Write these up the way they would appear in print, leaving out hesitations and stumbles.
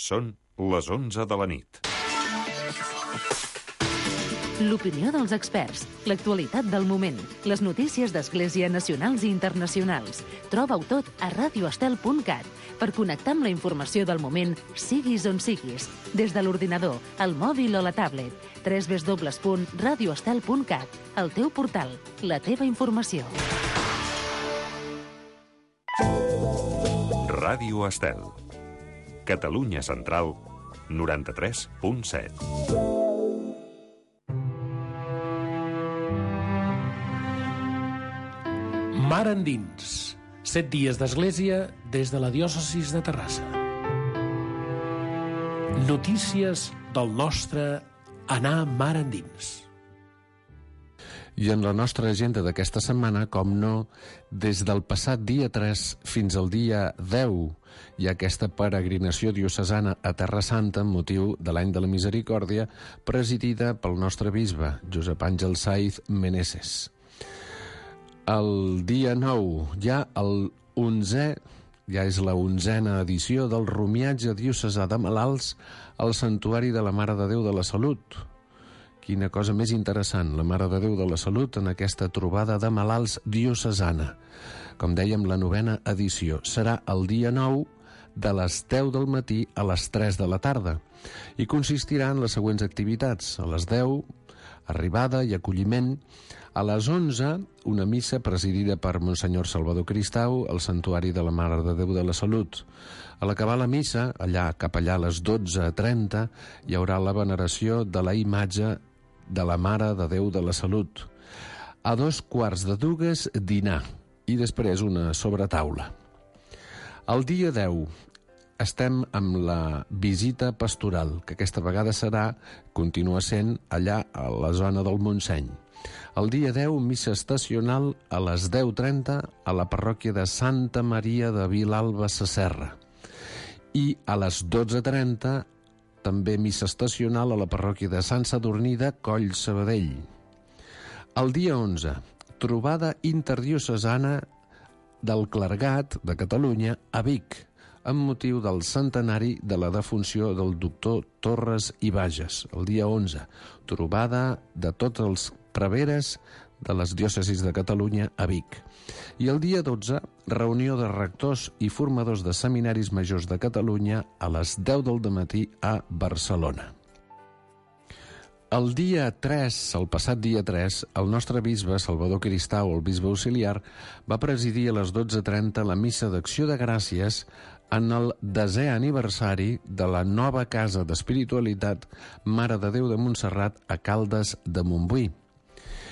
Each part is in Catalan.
Són les 11 de la nit. L'opinió dels experts, l'actualitat del moment, les notícies d'Església nacionals i internacionals. Troba-ho tot a radioestel.cat per connectar amb la informació del moment, siguis on siguis, des de l'ordinador, el mòbil o la tablet. www.radioestel.cat, el teu portal, la teva informació. Ràdio Estel. Catalunya Central, 93.7. Mar endins. 7 dies d'església des de la diòcesis de Terrassa. Notícies del nostre anar mar endins. I en la nostra agenda d'aquesta setmana, com no, des del passat dia 3 fins al dia 10 hi ha aquesta peregrinació diocesana a Terra Santa amb motiu de l'any de la Misericòrdia, presidida pel nostre bisbe, Josep Àngel Saiz Meneses. El dia 9 ja és la 11a edició del romiatge diocesà de malalts al Santuari de la Mare de Déu de la Salut. Quina cosa més interessant, la Mare de Déu de la Salut en aquesta trobada de malalts diocesana. Com dèiem, la 9a edició serà el dia 9 de les 10 del matí a les 3 de la tarda i consistirà en les següents activitats. A les 10, arribada i acolliment. A les 11, una missa presidida per Monsenyor Salvador Cristau al Santuari de la Mare de Déu de la Salut. A l'acabar la missa, cap allà a les 12:30, hi haurà la veneració de la imatge de la Mare de Déu de la Salut. A 2:15, dinar i després una sobretaula. El dia 10 estem amb la visita pastoral, que aquesta vegada continua sent allà a la zona del Montseny. El dia 10, missa estacional a les 10:30 a la parròquia de Santa Maria de Vilalba Sasserra. I a les 12:30, també missa estacional a la parròquia de Sant Sadurní de Coll Sabadell. El dia 11, trobada interdiocesana del Clergat de Catalunya a Vic, amb motiu del centenari de la defunció del doctor Torres i Bages. El dia 11, trobada de tots els preveres de les diòcesis de Catalunya a Vic. I el dia 12, reunió de rectors i formadors de seminaris majors de Catalunya a les 10 del dematí a Barcelona. El dia 3, el passat dia 3, el nostre bisbe, Salvador Cristau, el bisbe auxiliar, va presidir a les 12:30 la missa d'acció de gràcies en el 10è aniversari de la nova casa d'espiritualitat Mare de Déu de Montserrat a Caldes de Montbui.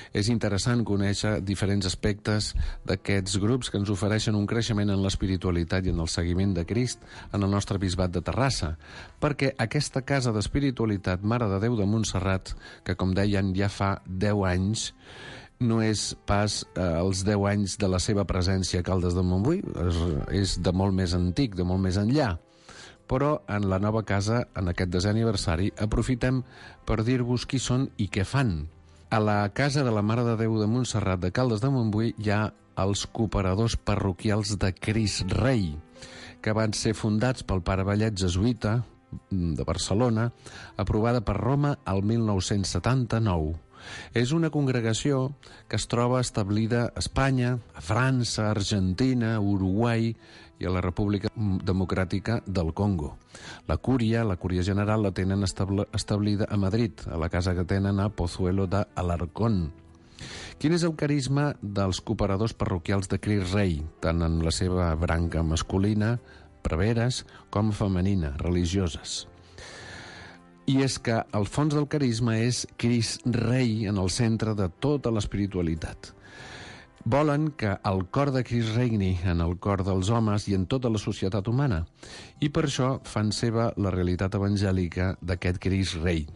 És interessant conèixer diferents aspectes d'aquests grups que ens ofereixen un creixement en l'espiritualitat i en el seguiment de Crist en el nostre bisbat de Terrassa, perquè aquesta casa d'espiritualitat Mare de Déu de Montserrat, que com deien ja fa 10 anys, no és pas els 10 anys de la seva presència a Caldes de Montbui, és de molt més antic, de molt més enllà. Però en la nova casa, en aquest 10è aniversari, aprofitem per dir-vos qui són i què fan. A la casa de la Mare de Déu de Montserrat de Caldes de Montbui hi ha els cooperadors parroquials de Crist Rei, que van ser fundats pel pare Vallet jesuïta de Barcelona, aprovada per Roma el 1979. És una congregació que es troba establida a Espanya, a França, a Argentina, a Uruguai i a la República Democràtica del Congo. La cúria general la tenen establida a Madrid, a la casa que tenen a Pozuelo de Alarcón. Quin és el carisma dels cooperadors parroquials de Crist Rei, tant en la seva branca masculina, preveres, com femenina, religioses? I és que el fons del carisma és Crist Rei en el centre de tota l'espiritualitat. Volen que el cor de Crist regni en el cor dels homes i en tota la societat humana, i per això fan seva la realitat evangèlica d'aquest Crist Rei.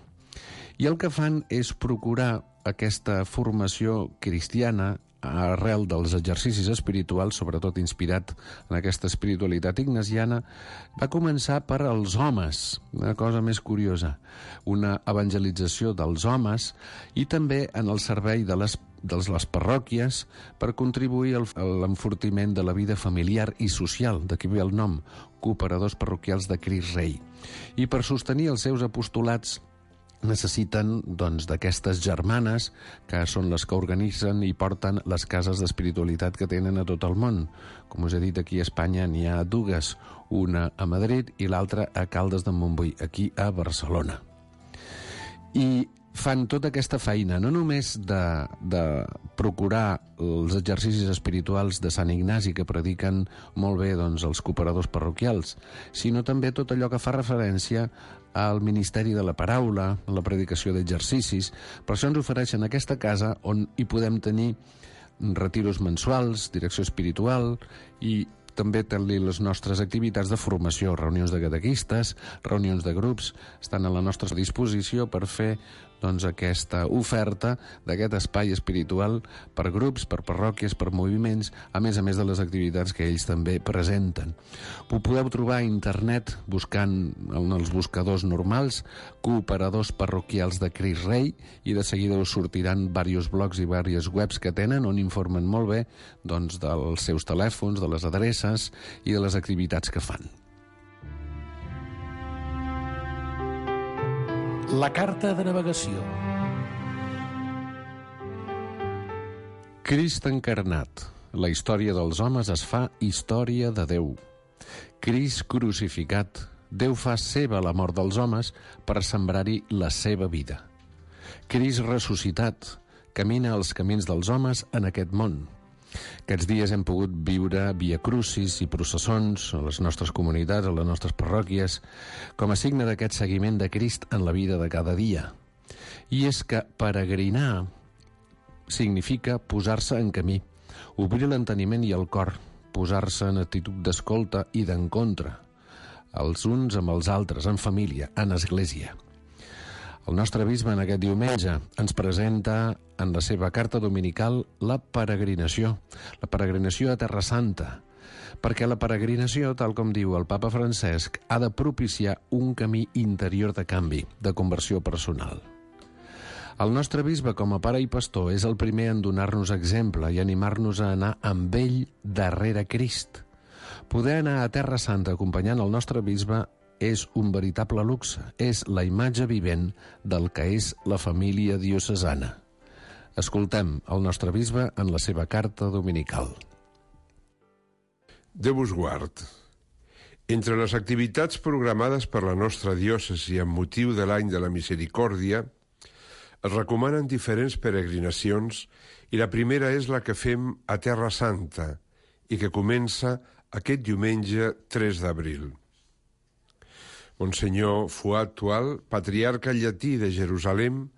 I el que fan és procurar aquesta formació cristiana arrel dels exercicis espirituals, sobretot inspirat en aquesta espiritualitat ignasiana, va començar per als homes, una cosa més curiosa, una evangelització dels homes i també en el servei de les de les parròquies per contribuir a l'enfortiment de la vida familiar i social, d'aquí ve el nom, Cooperadors Parroquials de Crist Rei. I per sostenir els seus apostolats necessiten d'aquestes germanes, que són les que organitzen i porten les cases d'espiritualitat que tenen a tot el món. Com us he dit, aquí a Espanya n'hi ha dues, una a Madrid i l'altra a Caldes de Montbui, aquí a Barcelona. I fan tota aquesta feina, no només de procurar els exercicis espirituals de Sant Ignasi que prediquen molt bé els cooperadors parroquials, sinó també tot allò que fa referència al ministeri de la paraula, a la predicació d'exercicis. Per això ens ofereixen aquesta casa on hi podem tenir retiros mensuals, direcció espiritual i també tenir les nostres activitats de formació, reunions de catequistes, reunions de grups, estan a la nostra disposició per fer aquesta oferta d'aquest espai espiritual per grups, per parròquies, per moviments, a més de les activitats que ells també presenten. Ho podeu trobar a internet buscant en els buscadors normals Cooperadors Parroquials de Crist Rei i de seguida us sortiran diversos blogs i diverses webs que tenen on informen molt bé dels seus telèfons, de les adreces i de les activitats que fan. La carta de navegació. Crist encarnat. La història dels homes es fa història de Déu. Crist crucificat. Déu fa seva la mort dels homes per sembrar-hi la seva vida. Crist ressuscitat. Camina els camins dels homes en aquest món. Aquests dies hem pogut viure via crucis i processons a les nostres comunitats, a les nostres parròquies, com a signe d'aquest seguiment de Crist en la vida de cada dia. I és que peregrinar significa posar-se en camí, obrir l'enteniment i el cor, posar-se en actitud d'escolta i d'encontre, els uns amb els altres, en família, en església. El nostre bisbe en aquest diumenge ens presenta en la seva carta dominical la peregrinació a Terra Santa, perquè la peregrinació, tal com diu el papa Francesc, ha de propiciar un camí interior de canvi, de conversió personal. El nostre bisbe, com a pare i pastor, és el primer en donar-nos exemple i animar-nos a anar amb ell darrere Crist. Poder anar a Terra Santa acompanyant el nostre bisbe és un veritable luxe, és la imatge vivent del que és la família diocesana. Escoltem el nostre bisbe en la seva carta dominical. Déu us guard. Entre les activitats programades per la nostra diòcesi amb motiu de l'any de la Misericòrdia, es recomanen diferents peregrinacions i la primera és la que fem a Terra Santa i que comença aquest diumenge 3 d'abril. Monsenyor Fuad Tual, patriarca llatí de Jerusalem,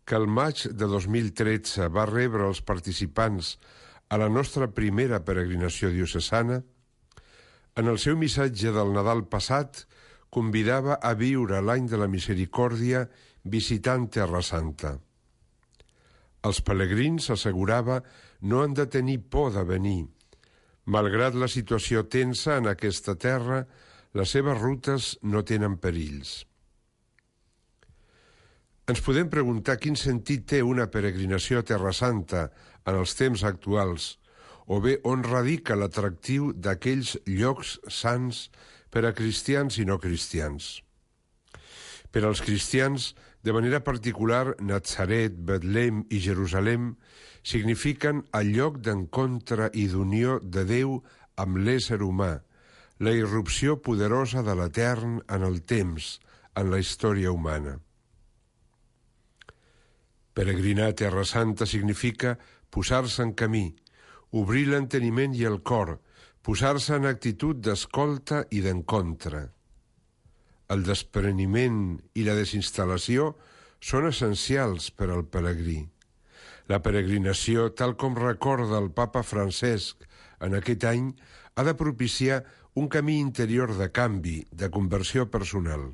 que el maig de 2013 va rebre els participants a la nostra primera peregrinació diocesana, en el seu missatge del Nadal passat convidava a viure l'any de la Misericòrdia visitant Terra Santa. Els pelegrins, assegurava, no han de tenir por de venir. Malgrat la situació tensa en aquesta terra, les seves rutes no tenen perills. Ens podem preguntar quin sentit té una peregrinació a Terra Santa en els temps actuals, o bé on radica l'atractiu d'aquells llocs sants per a cristians i no cristians. Per als cristians, de manera particular, Natzaret, Betlem i Jerusalem signifiquen el lloc d'encontre i d'unió de Déu amb l'ésser humà, la irrupció poderosa de l'etern en el temps, en la història humana. Peregrinar a Terra Santa significa posar-se en camí, obrir l'enteniment i el cor, posar-se en actitud d'escolta i d'encontre. El despreniment i la desinstal·lació són essencials per al pelegrí. La peregrinació, tal com recorda el papa Francesc en aquest any, ha de propiciar un camí interior de canvi, de conversió personal.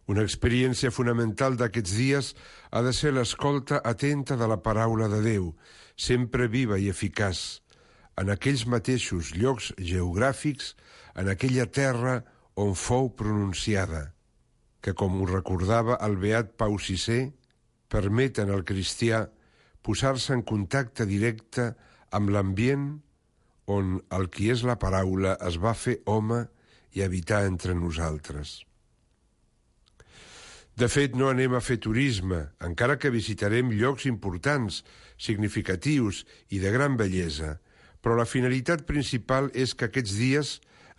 Una experiència fonamental d'aquests dies ha de ser l'escolta atenta de la paraula de Déu, sempre viva i eficaç, en aquells mateixos llocs geogràfics, en aquella terra on fou pronunciada, que, com ho recordava el beat Pau VI, permeten al cristià posar-se en contacte directe amb l'ambient on el qui és la paraula es va fer home i habitar entre nosaltres. De fet, no anem a fer turisme, encara que visitarem llocs importants, significatius i de gran bellesa, però la finalitat principal és que aquests dies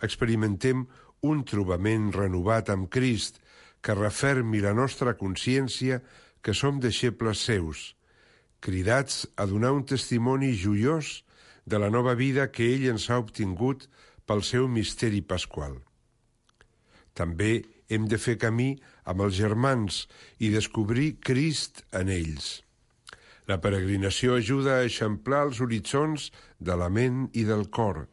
experimentem un trobament renovat amb Crist que refermi la nostra consciència que som deixebles seus, cridats a donar un testimoni joiós de la nova vida que ell ens ha obtingut pel seu misteri pasqual. També hem de fer camí amb els germans i descobrir Crist en ells. La peregrinació ajuda a eixamplar els horitzons de la ment i del cor,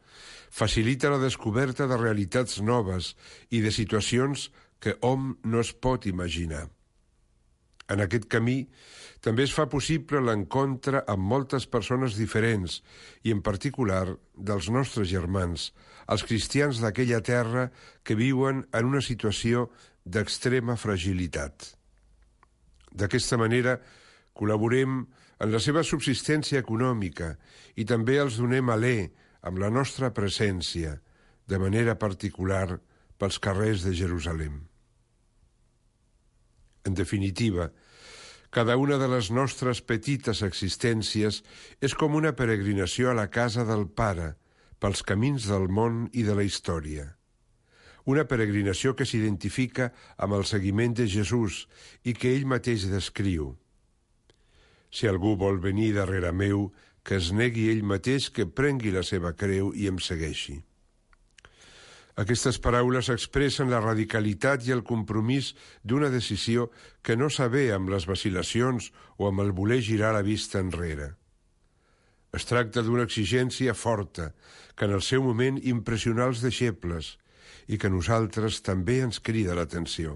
facilita la descoberta de realitats noves i de situacions que hom no es pot imaginar. En aquest camí també es fa possible l'encontre amb moltes persones diferents i, en particular, dels nostres germans, els cristians d'aquella terra que viuen en una situació d'extrema fragilitat. D'aquesta manera, col·laborem en la seva subsistència econòmica i també els donem alè amb la nostra presència, de manera particular pels carrers de Jerusalem. En definitiva, cada una de les nostres petites existències és com una peregrinació a la casa del Pare, pels camins del món i de la història. Una peregrinació que s'identifica amb el seguiment de Jesús i que ell mateix descriu. Si algú vol venir darrere meu, que es negui ell mateix, que prengui la seva creu i em segueixi. Aquestes paraules expressen la radicalitat i el compromís d'una decisió que no s'avé amb les vacil·lacions o amb el voler girar la vista enrere. Es tracta d'una exigència forta que en el seu moment impressionà els deixebles i que a nosaltres també ens crida l'atenció.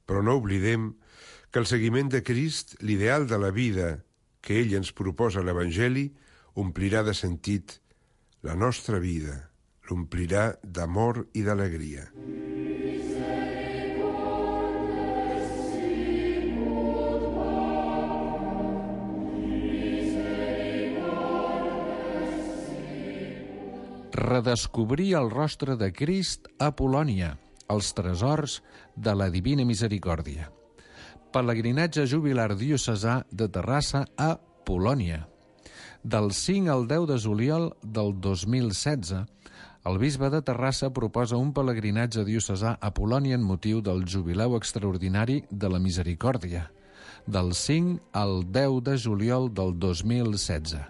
Però no oblidem que el seguiment de Crist, l'ideal de la vida que ell ens proposa a l'Evangeli, omplirà de sentit la nostra vida, l'omplirà d'amor i d'alegria. Redescobrir el rostre de Crist a Polònia, els tresors de la Divina Misericòrdia. Pelegrinatge jubilar diocesà de Terrassa a Polònia. Del 5 al 10 de juliol del 2016, el bisbe de Terrassa proposa un pelegrinatge diocesà a Polònia en motiu del jubileu extraordinari de la Misericòrdia, del 5 al 10 de juliol del 2016.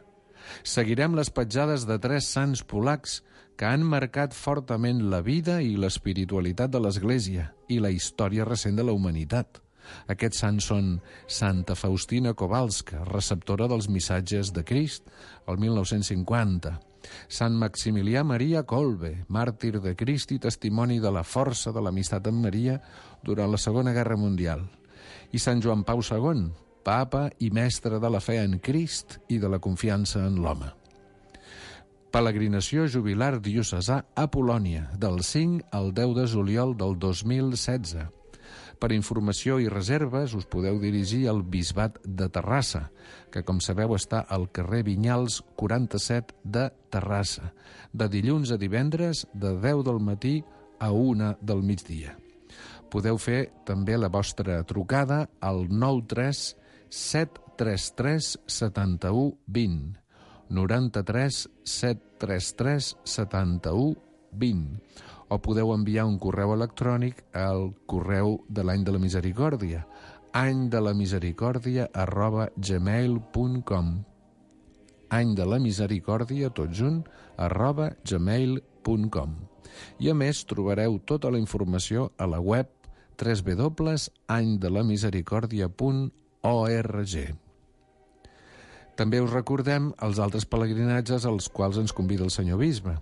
Seguirem les petjades de 3 sants polacs que han marcat fortament la vida i l'espiritualitat de l'Església i la història recent de la humanitat. Aquests sants són Santa Faustina Kowalska, receptora dels missatges de Crist, el 1950, Sant Maximilià Maria Kolbe, màrtir de Crist i testimoni de la força de l'amistat amb Maria durant la Segona Guerra Mundial, i Sant Joan Pau II, papa i mestre de la fe en Crist i de la confiança en l'home. Peregrinació jubilar diocesà a Polònia, del 5 al 10 de juliol del 2016. Per informació i reserves us podeu dirigir al Bisbat de Terrassa, que, com sabeu, està al carrer Vinyals 47 de Terrassa, de dilluns a divendres de 10 del matí a 1 del migdia. Podeu fer també la vostra trucada al 93 733 71 20, 93 733 71 20, o podeu enviar un correu electrònic al correu de l'Any de la Misericòrdia, anydelamisericòrdia@gmail.com, anydelamisericòrdia, tot junt, @gmail.com. I a més trobareu tota la informació a la web www.anydelamisericòrdia.org. També us recordem els altres pelegrinatges als quals ens convida el senyor bisbe.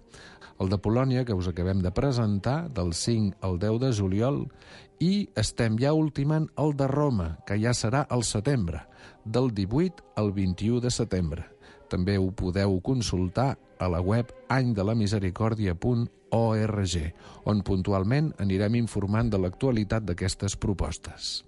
El de Polònia, que us acabem de presentar, del 5 al 10 de juliol, i estem ja ultimant el de Roma, que ja serà al setembre, del 18 al 21 de setembre. També ho podeu consultar a la web anydelamisericòrdia.org, on puntualment anirem informant de l'actualitat d'aquestes propostes.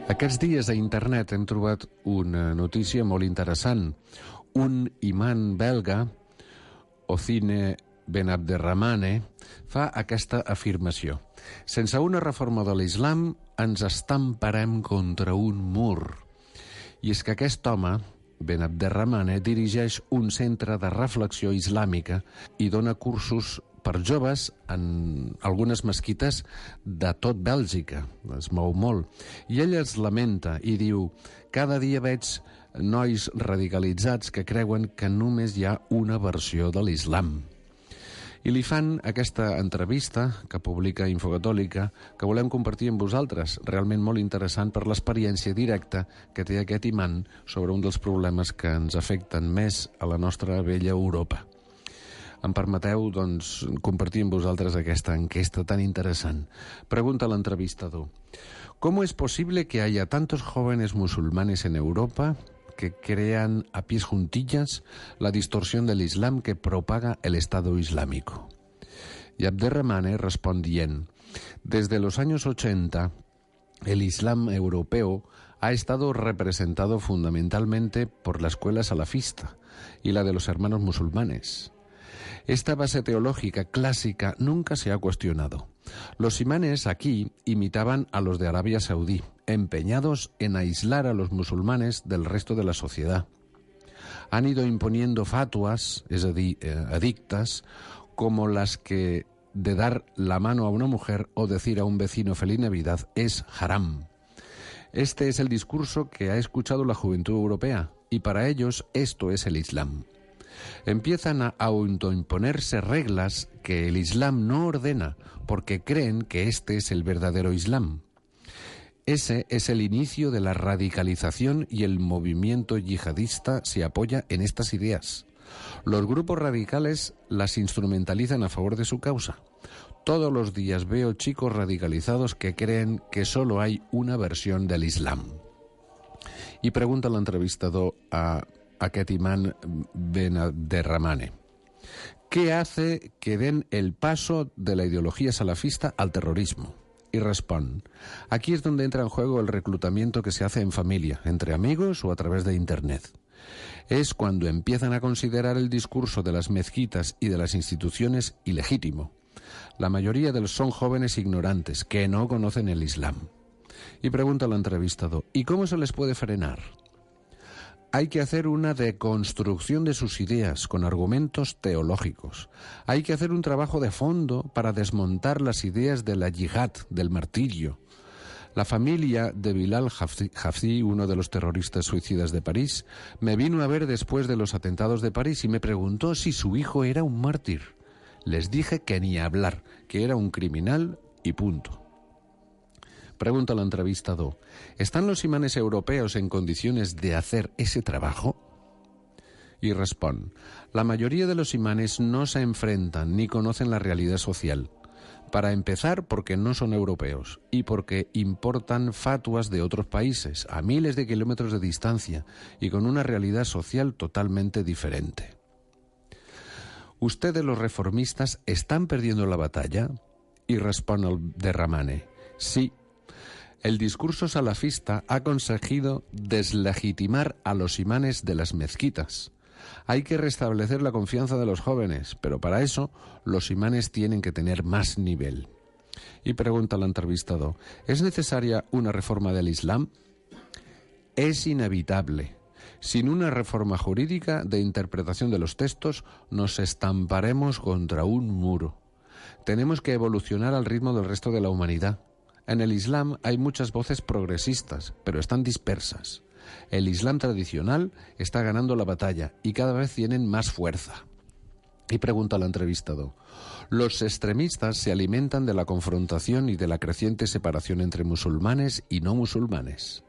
Aquests dies a internet hem trobat una notícia molt interessant. Un imam belga, Ocine Ben Abderramane, fa aquesta afirmació. Sense una reforma de l'islam ens estamparem contra un mur. I és que aquest home, Ben Abderramane, dirigeix un centre de reflexió islàmica i dona cursos per joves en algunes mesquites de tot Bèlgica. Es mou molt. I ell es lamenta i diu: cada dia veig nois radicalitzats que creuen que només hi ha una versió de l'islam. I li fan aquesta entrevista que publica Infocatòlica, que volem compartir amb vosaltres, realment molt interessant per l'experiència directa que té aquest imam sobre un dels problemes que ens afecten més a la nostra vella Europa. Em permeteu, doncs, compartir amb vosaltres aquesta enquesta tan interessant. Pregunta l'entrevistador: ¿Cómo es posible que haya tantos jóvenes musulmanes en Europa que crean a pies juntillas la distorsión del Islam que propaga el Estado Islámico? Y Abderramane responde: desde los años 80, el Islam europeo ha estado representado fundamentalmente por la escuela salafista y la de los hermanos musulmanes. Esta base teológica clásica nunca se ha cuestionado. Los imanes aquí imitaban a los de Arabia Saudí, empeñados en aislar a los musulmanes del resto de la sociedad. Han ido imponiendo fatuas, es decir, edictas, como las que de dar la mano a una mujer o decir a un vecino feliz Navidad es haram. Este es el discurso que ha escuchado la juventud europea, y para ellos esto es el Islam. Empiezan a autoimponerse reglas que el Islam no ordena, porque creen que este es el verdadero Islam. Ese es el inicio de la radicalización y el movimiento yihadista se apoya en estas ideas. Los grupos radicales las instrumentalizan a favor de su causa. Todos los días veo chicos radicalizados que creen que solo hay una versión del Islam. Y pregunta l'entrevistador a aquest imam Ben Abderramane: ¿qué hace que den el paso de la ideología salafista al terrorismo? Y responde: aquí es donde entra en juego el reclutamiento que se hace en familia, entre amigos o a través de Internet. Es cuando empiezan a considerar el discurso de las mezquitas y de las instituciones ilegítimo. La mayoría de los son jóvenes ignorantes que no conocen el Islam. Y pregunta al entrevistado: ¿y cómo se les puede frenar? Hay que hacer una deconstrucción de sus ideas con argumentos teológicos. Hay que hacer un trabajo de fondo para desmontar las ideas de la yihad, del martirio. La familia de Bilal Hafsi, uno de los terroristas suicidas de París, me vino a ver después de los atentados de París y me preguntó si su hijo era un mártir. Les dije que ni hablar, que era un criminal y punto. Pregunta al entrevistador: ¿están los imanes europeos en condiciones de hacer ese trabajo? Y responde: la mayoría de los imanes no se enfrentan ni conocen la realidad social. Para empezar, porque no son europeos y porque importan fatuas de otros países a miles de kilómetros de distancia y con una realidad social totalmente diferente. ¿Ustedes, los reformistas, están perdiendo la batalla? Y responde Abderramane: sí. El discurso salafista ha conseguido deslegitimar a los imanes de las mezquitas. Hay que restablecer la confianza de los jóvenes, pero para eso los imanes tienen que tener más nivel. Y pregunta al entrevistado: ¿es necesaria una reforma del Islam? Es inevitable. Sin una reforma jurídica de interpretación de los textos, nos estamparemos contra un muro. Tenemos que evolucionar al ritmo del resto de la humanidad. En el Islam hay muchas voces progresistas, pero están dispersas. El Islam tradicional está ganando la batalla y cada vez tienen más fuerza. Y pregunta al entrevistado: los extremistas se alimentan de la confrontación y de la creciente separación entre musulmanes y no musulmanes.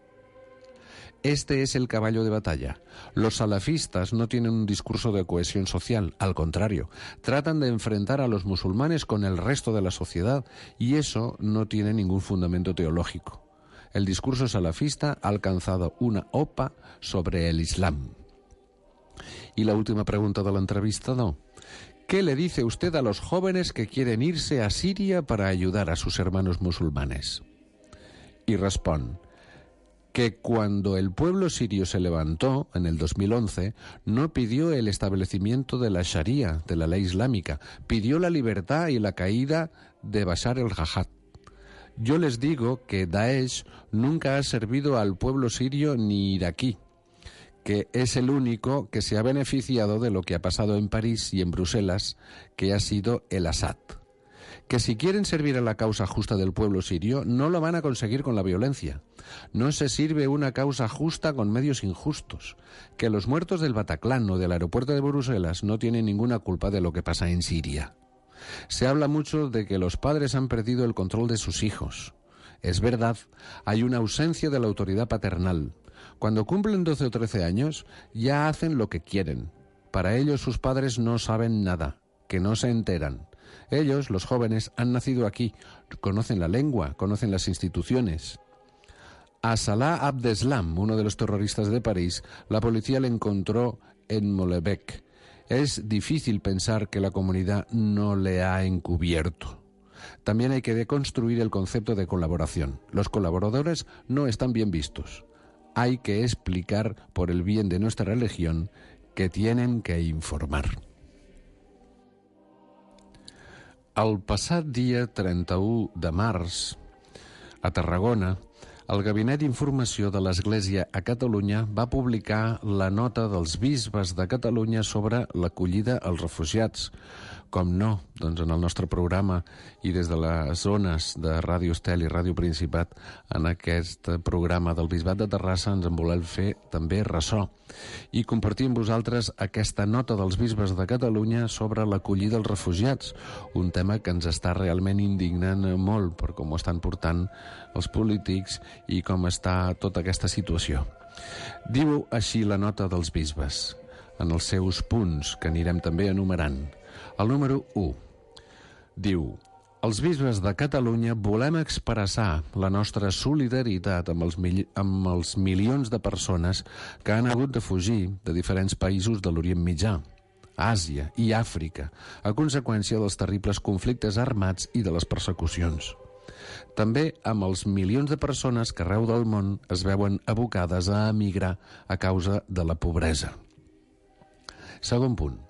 Este es el caballo de batalla. Los salafistas no tienen un discurso de cohesión social, al contrario, tratan de enfrentar a los musulmanes con el resto de la sociedad y eso no tiene ningún fundamento teológico. El discurso salafista ha alcanzado una OPA sobre el Islam. Y la última pregunta del entrevistado: ¿qué le dice usted a los jóvenes que quieren irse a Siria para ayudar a sus hermanos musulmanes? Y responde: que cuando el pueblo sirio se levantó en el 2011, no pidió el establecimiento de la Sharia, de la ley islámica, pidió la libertad y la caída de Bashar el-Assad. Yo les digo que Daesh nunca ha servido al pueblo sirio ni iraquí, que es el único que se ha beneficiado de lo que ha pasado en París y en Bruselas, que ha sido el Assad. Que si quieren servir a la causa justa del pueblo sirio, no lo van a conseguir con la violencia. No se sirve una causa justa con medios injustos. Que los muertos del Bataclan o del aeropuerto de Bruselas no tienen ninguna culpa de lo que pasa en Siria. Se habla mucho de que los padres han perdido el control de sus hijos. Es verdad, hay una ausencia de la autoridad paternal. Cuando cumplen 12 o 13 años, ya hacen lo que quieren. Para ellos sus padres no saben nada, que no se enteran. Ellos, los jóvenes, han nacido aquí, conocen la lengua, conocen las instituciones. A Salah Abdeslam, uno de los terroristas de París, la policía le encontró en Molenbeek. Es difícil pensar que la comunidad no le ha encubierto. También hay que deconstruir el concepto de colaboración. Los colaboradores no están bien vistos. Hay que explicar, por el bien de nuestra religión, que tienen que informar. El passat dia 31 de març, a Tarragona, el Gabinet d'Informació de l'Església a Catalunya va publicar la nota dels bisbes de Catalunya sobre l'acollida als refugiats. Com no, doncs en el nostre programa i des de les zones de Ràdio Estel i Ràdio Principat, en aquest programa del Bisbat de Terrassa ens en volem fer també ressò i compartir amb vosaltres aquesta nota dels bisbes de Catalunya sobre l'acollida als refugiats, un tema que ens està realment indignant molt per com ho estan portant els polítics i com està tota aquesta situació. Diu així la nota dels bisbes, en els seus punts, que anirem també enumerant. El número 1 diu: els bisbes de Catalunya volem expressar la nostra solidaritat amb els milions de persones que han hagut de fugir de diferents països de l'Orient Mitjà, Àsia i Àfrica, a conseqüència dels terribles conflictes armats i de les persecucions. També amb els milions de persones que arreu del món es veuen abocades a emigrar a causa de la pobresa. Segon punt.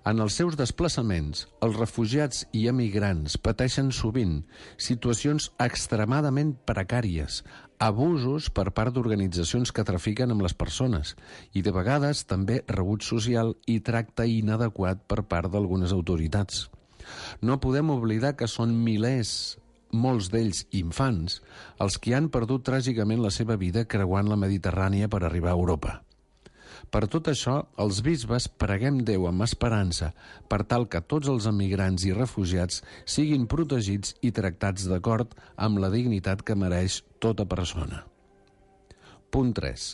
En els seus desplaçaments, els refugiats i emigrants pateixen sovint situacions extremadament precàries, abusos per part d'organitzacions que trafiquen amb les persones i de vegades també rebuig social i tracte inadequat per part d'algunes autoritats. No podem oblidar que són milers, molts d'ells infants, els que han perdut tràgicament la seva vida creuant la Mediterrània per arribar a Europa. Per tot això, els bisbes preguem Déu amb esperança per tal que tots els emigrants i refugiats siguin protegits i tractats d'acord amb la dignitat que mereix tota persona. Punt 3.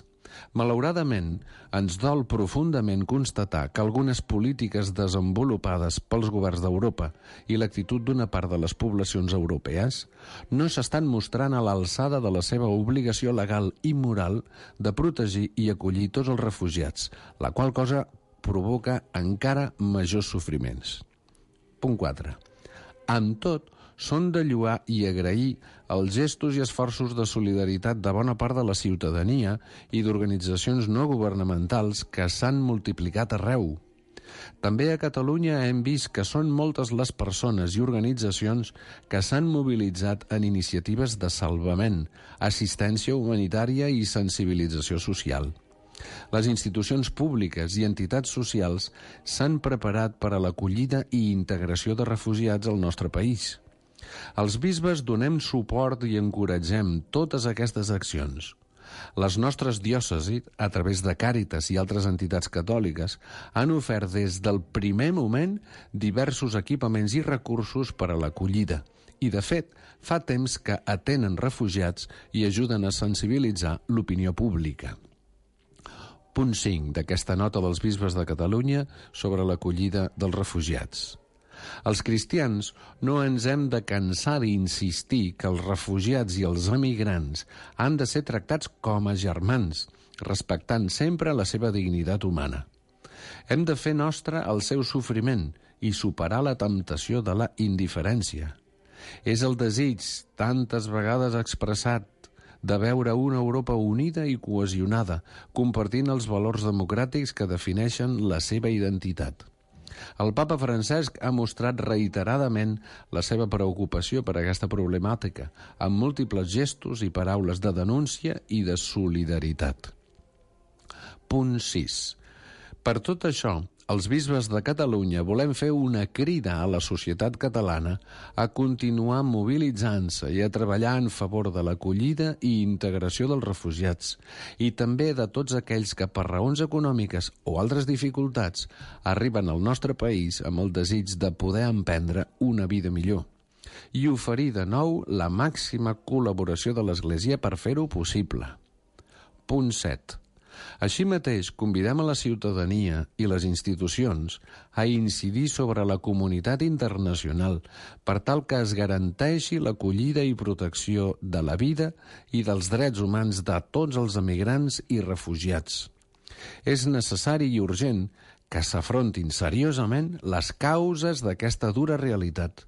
Malauradament, ens dol profundament constatar que algunes polítiques desenvolupades pels governs d'Europa i l'actitud d'una part de les poblacions europees no s'estan mostrant a l'alçada de la seva obligació legal i moral de protegir i acollir tots els refugiats, la qual cosa provoca encara majors sofriments. Punt 4. Amb tot, són de lloar i agrair els gestos i esforços de solidaritat de bona part de la ciutadania i d'organitzacions no governamentals que s'han multiplicat arreu. També a Catalunya hem vist que són moltes les persones i organitzacions que s'han mobilitzat en iniciatives de salvament, assistència humanitària i sensibilització social. Les institucions públiques i entitats socials s'han preparat per a l'acollida i integració de refugiats al nostre país. Els bisbes donem suport i encoratgem totes aquestes accions. Les nostres diòcesis, a través de Càritas i altres entitats catòliques, han ofert des del primer moment diversos equipaments i recursos per a l'acollida. I, de fet, fa temps que atenen refugiats i ajuden a sensibilitzar l'opinió pública. Punt 5 d'aquesta nota dels bisbes de Catalunya sobre l'acollida dels refugiats. Els cristians no ens hem de cansar d'insistir que els refugiats i els emigrants han de ser tractats com a germans, respectant sempre la seva dignitat humana. Hem de fer nostre el seu sofriment i superar la temptació de la indiferència. És el desig, tantes vegades expressat, de veure una Europa unida i cohesionada, compartint els valors democràtics que defineixen la seva identitat. El papa Francesc ha mostrat reiteradament la seva preocupació per aquesta problemàtica, amb múltiples gestos i paraules de denúncia i de solidaritat. Punt 6. Per tot això, els bisbes de Catalunya volem fer una crida a la societat catalana a continuar mobilitzant-se i a treballar en favor de l'acollida i integració dels refugiats i també de tots aquells que per raons econòmiques o altres dificultats arriben al nostre país amb el desig de poder emprendre una vida millor i oferir de nou la màxima col·laboració de l'Església per fer-ho possible. Punt 7. Així mateix, convidem a la ciutadania i les institucions a incidir sobre la comunitat internacional per tal que es garanteixi l'acollida i protecció de la vida i dels drets humans de tots els emigrants i refugiats. És necessari i urgent que s'afrontin seriosament les causes d'aquesta dura realitat,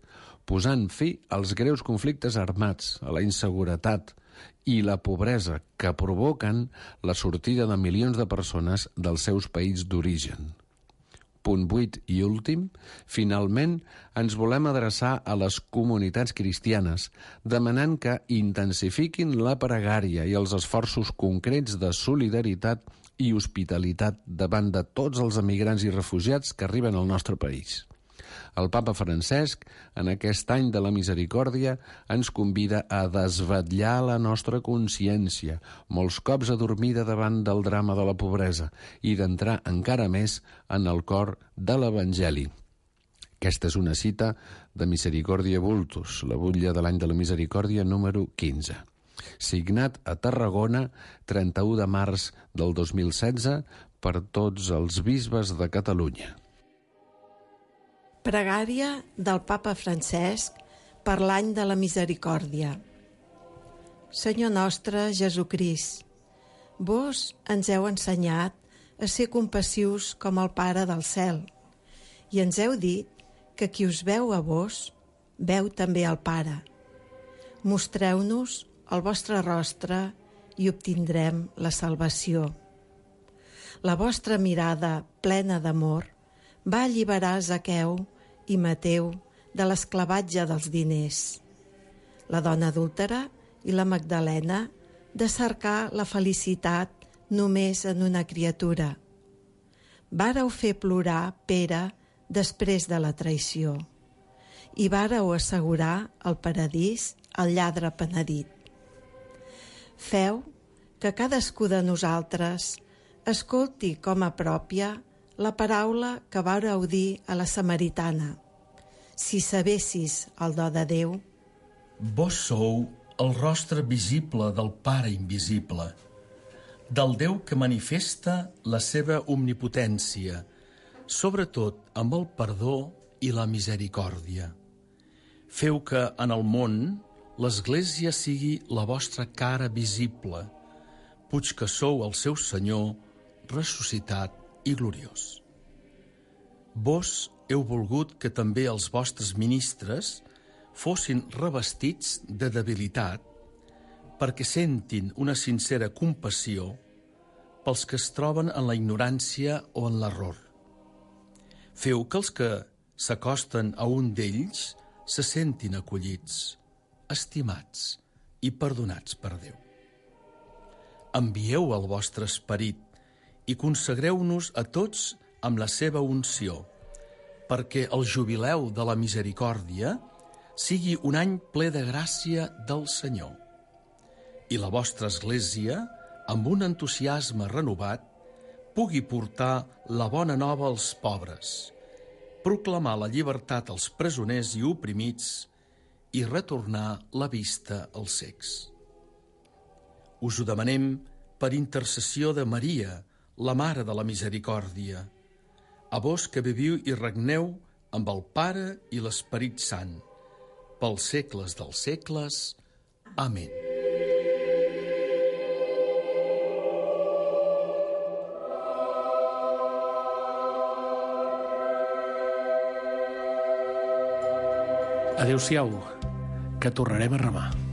posant fi als greus conflictes armats, a la inseguretat i la pobresa que provoquen la sortida de milions de persones dels seus països d'origen. Punt 8 i últim, finalment ens volem adreçar a les comunitats cristianes, demanant que intensifiquin la pregària i els esforços concrets de solidaritat i hospitalitat davant de tots els emigrants i refugiats que arriben al nostre país. El papa Francesc, en aquest any de la misericòrdia, ens convida a desvetllar la nostra consciència, molts cops adormida davant del drama de la pobresa, i d'entrar encara més en el cor de l'Evangeli. Aquesta és una cita de Misericòrdia Vultus, la butlla de l'any de la misericòrdia número 15. Signat a Tarragona, 31 de març del 2016, per tots els bisbes de Catalunya. Pregària del papa Francesc per l'any de la misericòrdia. Senyor nostre Jesucrist, vos ens heu ensenyat a ser compassius com el Pare del cel i ens heu dit que qui us veu a vos, veu també al Pare. Mostreu-nos el vostre rostre i obtindrem la salvació. La vostra mirada plena d'amor va alliberar Zaqueu i Mateu de l'esclavatge dels diners, la dona adúltera i la Magdalena de cercar la felicitat només en una criatura. Vàreu fer plorar Pere després de la traïció i vàreu assegurar el paradís al lladre penedit. Feu que cadascú de nosaltres escolti com a pròpia la paraula que vàreu dir a la samaritana. Si sabessis el do de Déu, vos sou el rostre visible del Pare invisible, del Déu que manifesta la seva omnipotència, sobretot amb el perdó i la misericòrdia. Feu que en el món l'Església sigui la vostra cara visible, puig que sou el seu Senyor ressuscitat i gloriós. Vos heu volgut que també els vostres ministres fossin revestits de debilitat perquè sentin una sincera compassió pels que es troben en la ignorància o en l'error. Feu que els que s'acosten a un d'ells se sentin acollits, estimats i perdonats per Déu. Envieu el vostre esperit i consagreu-nos a tots amb la seva unció, perquè el jubileu de la misericòrdia sigui un any ple de gràcia del Senyor. I la vostra Església, amb un entusiasme renovat, pugui portar la bona nova als pobres, proclamar la llibertat als presoners i oprimits i retornar la vista als cecs. Us ho demanem per intercessió de Maria, la Mare de la Misericòrdia, a vos que viviu i regneu amb el Pare i l'Esperit Sant, pels segles dels segles. Amén. Adéu-siau, que tornarem a remar.